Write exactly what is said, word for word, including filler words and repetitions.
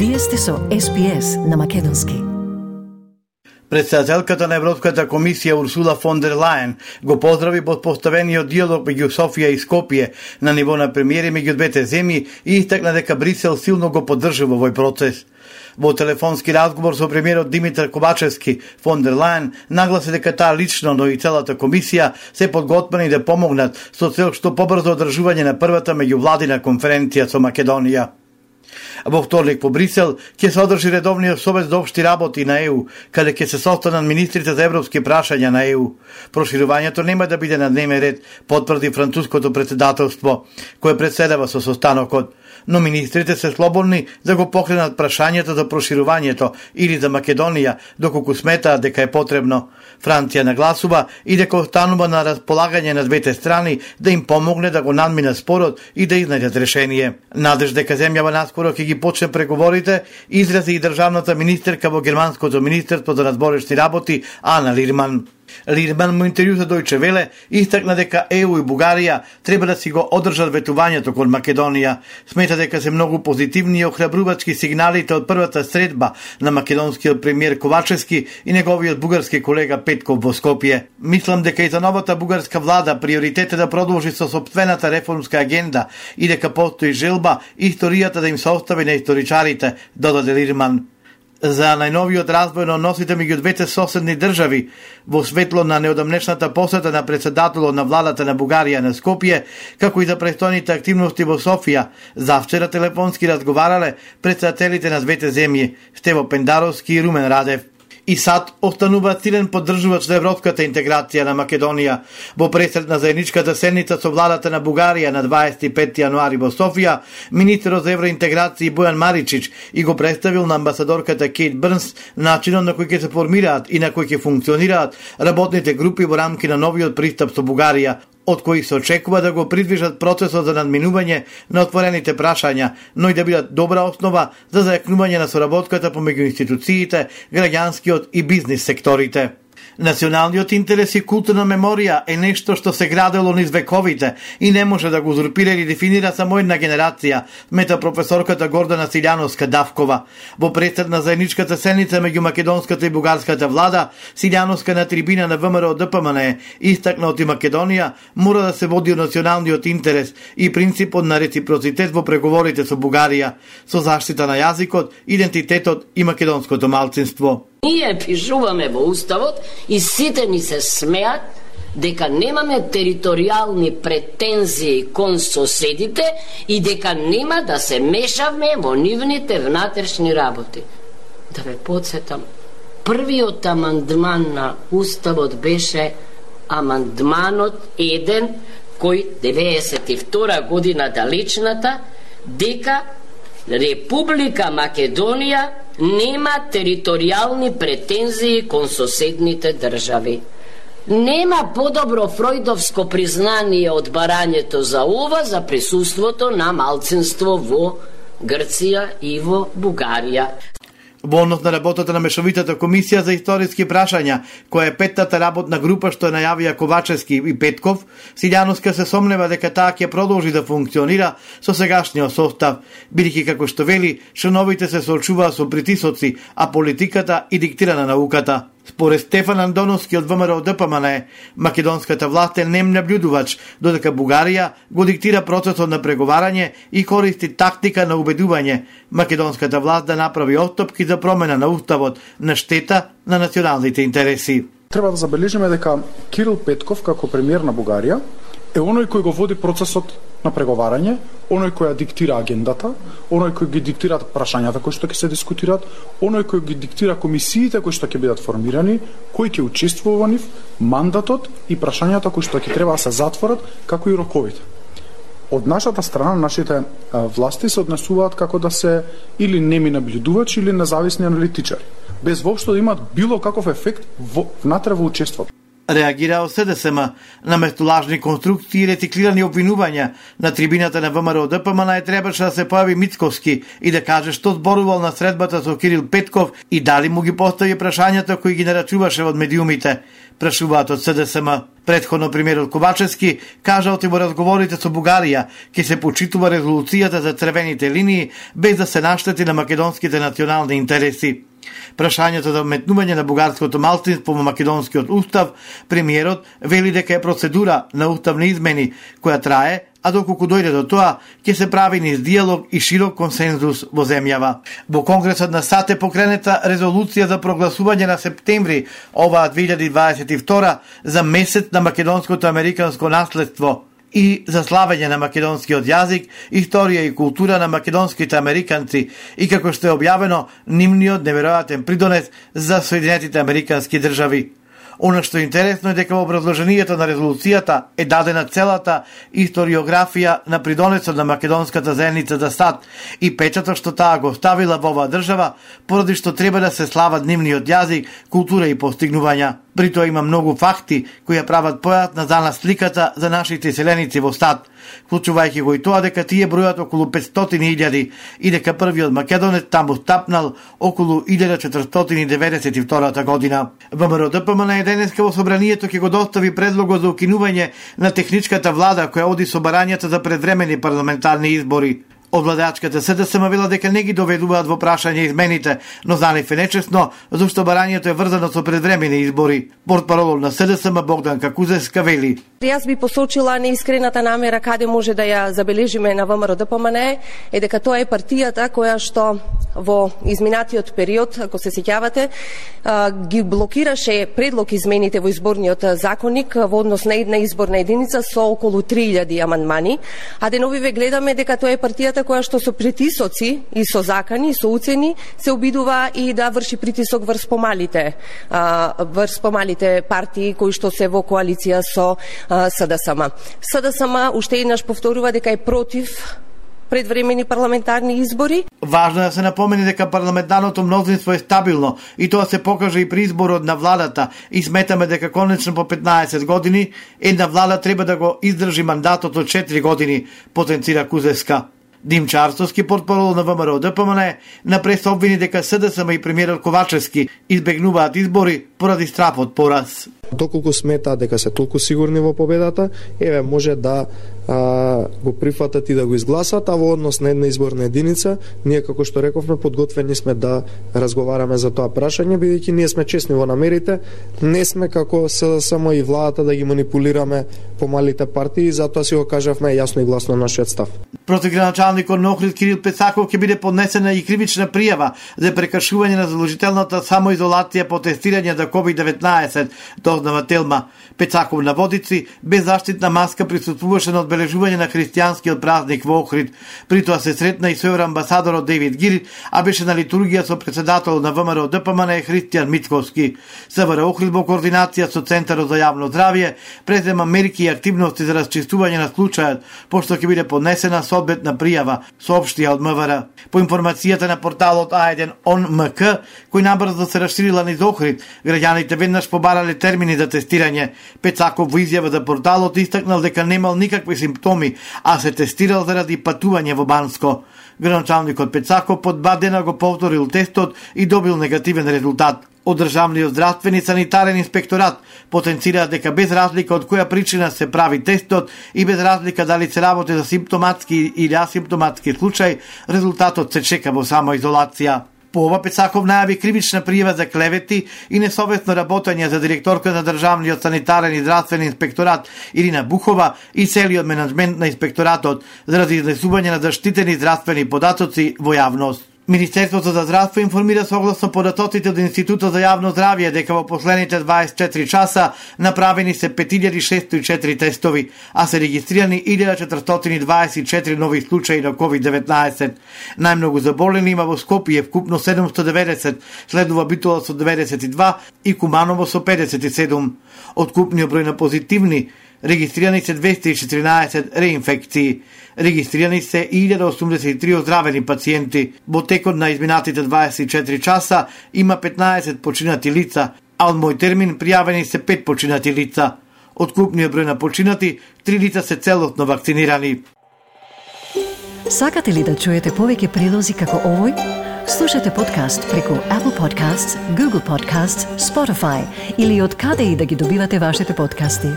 Вие сте со Ес Би Ес на македонски. Председателката на Европската комисија Урсула фон дер Лајен го поздрави поставениот диалог меѓу Софија и Скопје на ниво на премиери меѓу двете земји и истакна дека Брисел силно го поддржува овој процес. Во телефонски разговор со премиерот Димитар Ковачевски, фон дер Лајен нагласи дека таа лично, но и целата комисија се подготвени да помогнат со цел што побрзо одржување на првата меѓувладина конференција со Македонија. Во вторник по Брисел ќе се одржи редовниот совет за општи работи на Е У, каде ќе се состанат министрите за европски прашања на Е У. Проширувањето нема да биде на дневен ред, потврди француското председателство, кое председава со состанокот, но министрите се слободни да го покренат прашањето за проширувањето или за Македонија, доколку сметаат дека е потребно. Франција нагласува и дека останува на располагање на двете страни да им помогне да го надминат спорот и да изнајдат решение. Надеж дека земјава наскоро ќе ги почне преговорите, изрази и државната министерка во германското министерство за надворешни работи Ана Лирман. Лирман му интервју за Дојче Веле истакна дека Е У и Бугарија треба да си го одржат ветувањето кон Македонија. Смета дека се многу позитивни и охрабрувачки сигналите од првата средба на македонскиот премиер Ковачевски и неговиот бугарски колега Петков во Скопје. Мислам дека и за новата бугарска влада приоритет е да продолжи со сопствената реформска агенда и дека постои желба историјата да им се остави на историчарите, додаде Лирман. За најновиот развој на односите меѓу двете соседни држави, во светло на неодамнешната посета на председателот на владата на Бугарија на Скопје, како и за престојните активности во Софија, завчера телефонски разговарале председателите на двете земји, Стево Пендаровски и Румен Радев. И САД останува силен поддржувач на европската интеграција на Македонија. Во пресрет на заедничката седница со владата на Бугарија на дваесет и пети јануари во Софија, министерот за евроинтеграција Бојан Маричич и го представил на амбасадорката Кейт Брнс начинот на кој ќе се формираат и на кој ќе функционираат работните групи во рамки на новиот пристап со Бугарија, од кои се очекува да го придвижат процесот за надминување на отворените прашања, но и да бидат добра основа за зајакнување на соработката помеѓу институциите, граѓанскиот и бизнис секторите. Националниот интерес и културна меморија е нешто што се градело низ вековите и не може да го узурпира или дефинира само една генерација, мета професорката Гордана Силјановска-Давкова. Во пресрет на заедничката седница меѓу македонската и бугарската влада, Силјановска на трибина на Вэ Ем Р О Д П М Н Е истакна од и Македонија мора да се води од националниот интерес и принципот на реципроцитет во преговорите со Бугарија, со заштита на јазикот, идентитетот и македонското малцинство. Ние пишуваме во Уставот и сите ни се смеат дека немаме територијални претензии кон соседите и дека нема да се мешавме во нивните внатрешни работи. Да ве подсетам, првиот амандман на Уставот беше амандманот еден кој деветдесет и втора година далечната дека Република Македонија нема територијални претензии кон соседните држави. Нема подобро фројдовско признание од барањето за ова за присуството на малцинство во Грција и во Бугарија. Во однос на работата на Мешовитата комисија за историски прашања, која е петтата работна група што најавија Ковачевски и Петков, Силјановска се сомнева дека таа ќе продолжи да функционира со сегашниот состав, бидејќи како што вели, членовите се соочуваат со притисоци, а политиката и диктира на науката. Според Стефан Андоновски од Вэ Ем Р О Д П М Н Е, македонската власт е нем наблюдувач, додека Бугарија го диктира процесот на преговарање и користи тактика на убедување македонската власт да направи отстапки за промена на уставот на штета на националните интереси. Треба да забележиме дека Кирил Петков како премиер на Бугарија е оној кој го води процесот на преговарање, оној кој ја диктира агендата, оној кој ги диктира прашањата кои што ќе се дискутираат, оној кој ги диктира комисиите кои што ќе бидат формирани, кој ќе учествува во нив, мандатот и прашањата кои што ќе треба да се затворат, како и роковите. Од нашата страна, нашите а, власти се однесуваат како да се или неми наблюдувачи или независни аналитичари, без воопшто да имаат било каков ефект во, внатре во учеството. реагира СДСМ на местолажни конструкции и рециклирани обвинувања на трибината на ВМРО ДПМН е требаше да се појави Мицковски и да каже што зборувал на средбата со Кирил Петков и дали му ги постави прашањата кои ги нарачуваше од медиумите, прашуваат од СДСМ. Предходно премиерот Ковачевски кажал дека во разговорите со Бугарија ќе се почитува резолуцијата за црвените линии без да се наштети на македонските национални интереси. Прашањето за вметнување на бугарското малцинство во македонскиот устав, премиерот вели дека е процедура на уставни измени која трае, а доколку дојде до тоа, ќе се прави низ диалог и широк консензус во земјава. Во Конгресот на САД е покренета резолуција за прогласување на септември оваа две илјади дваесет и втора за месец на македонското американско наследство и за славење на македонскиот јазик, историја и култура на македонските американци и како што е објавено нивниот неверојатен придонес за Соединетите американски држави. Оно што е интересно е дека во образложението на резолуцијата е дадена целата историографија на придонесот на македонската заедница за САД и печатот што таа го ставила во оваа држава, поради што треба да се слават нивниот јазик, култура и постигнувања. При тоа има многу факти кои ја прават појасна за нас сликата за нашите селеници во САД, вклучувајќи го и тоа дека тие бројат околу петстотини илјади и дека првиот македонец таму стапнал околу илјада четиристотини деветдесет и втората година. ВМРО ДПМН е денеска во собранието ќе го достави предлогот за укинување на техничката влада која оди со барањата за предвремени парламентарни избори. Од владачката СДСМ вела дека не ги доведуваат во прашање измените, но за нив е нечесно, зашто барањето е врзано со предвремени избори. Портпаролот на СДСМ Богдан Какузевска вели: Јас би посочила неискрената намера каде може да ја забележиме на ВМРО ДПМН е дека тоа е партијата која што во изминатиот период, ако се сеќавате, ги блокираше предлог измените во изборниот законник во однос на една изборна единица со околу три илјади амандмани, а деновиве гледаме дека тоа е партијата која што со притисоци и со закани и со уцени се обидува и да врши притисок врз помалите врз помалите партии кои што се во коалиција со СДСМ. СДСМ уште еднаш повторува дека е против предвремени парламентарни избори. Важно е да се напомени дека парламентарното мнозинство е стабилно и тоа се покаже и при изборот на владата и сметаме дека конечно по петнаесет години една влада треба да го издржи мандатот од четири години, потенцира Кузевска. Димчо Арцовски, портпарол на ВМРО ДПМН, на прес обвини дека СДСМ и премиерот Ковачевски избегнуваат избори поради страв од пораз. Доколку сметаат дека се толку сигурни во победата, еве може да а, го прифатат и да го изгласат, а во однос на една изборна единица, ние како што рековме подготвени сме да разговараме за тоа прашање, бидејќи ние сме честни во намерите, не сме како СДСМ и владата да ги манипулираме помалите партии, затоа си го кажавме јасно и гласно нашиот став. Против граначалникот на Охрид Кирил Пецаков ќе биде поднесена и кривична пријава за прекршување на задолжителната самоизолација по тестирање за ковид деветнаесет, дознава Телма. Пецаков на водици без заштитна маска присуствуваше на одбележување на христијанскиот празник во Охрид. При тоа се сретна и со евроамбасадорот Девид Гирит, а беше на литургија со председател на ВМРО ДПМН Христијан Мицковски. СВР Охрид во координација со Центарот за јавно здравје презема мерки и активности за расчистување на случајот, пошто ќе биде поднесена соодветна пријава, соопштија од МВР. По информацијата на порталот А еден он ем ка, кој набрзо се расширила низ Охрид, граѓаните веднаш побарале термини за тестирање. Пецаков во изјава за порталот истакнал дека немал никакви симптоми, а се тестирал заради патување во Банско. Граначалникот Пецаков под два дена го повторил тестот и добил негативен резултат. Од државниот здравствен и санитарен инспекторат потенцираат дека без разлика од која причина се прави тестот и без разлика дали се работи за симптоматски или асимптоматски случај, резултатот се чека во самоизолација. По ова Пецаков најави кривична пријава за клевети и несовесно работење за директорка на државниот санитарен и здравствен инспекторат Ирина Бухова и целиот менаџмент на инспекторатот заради изнесување на заштитени здравствени податоци во јавност. Министерството за здравство информира согласно податоците од Институтот за јавно здравје дека во последните дваесет и четири часа направени се пет илјади шестоста и четири тестови, а се регистрирани илјада четиристотини дваесет и четири нови случаи на ковид деветнаесет. Најмногу заболени има во Скопје, вкупно седумстотини и деветдесет, следува Битола со деветдесет и два и Куманово со педесет и седум. Од купниот број на позитивни регистрирани се двеста и четиринаесет реинфекции. Регистрирани се илјада осумдесет и три оздравени пациенти. Во текот на изминатите дваесет и четири часа има петнаесет починати лица, а од мој термин пријавени се пет починати лица. Од купниот број на починати, три лица се целосно вакцинирани. Сакате ли да чуете повеќе прилози како овој? Слушате подкаст преку Apple Podcasts, Google Podcasts, Spotify или од каде и да ги добивате вашите подкасти.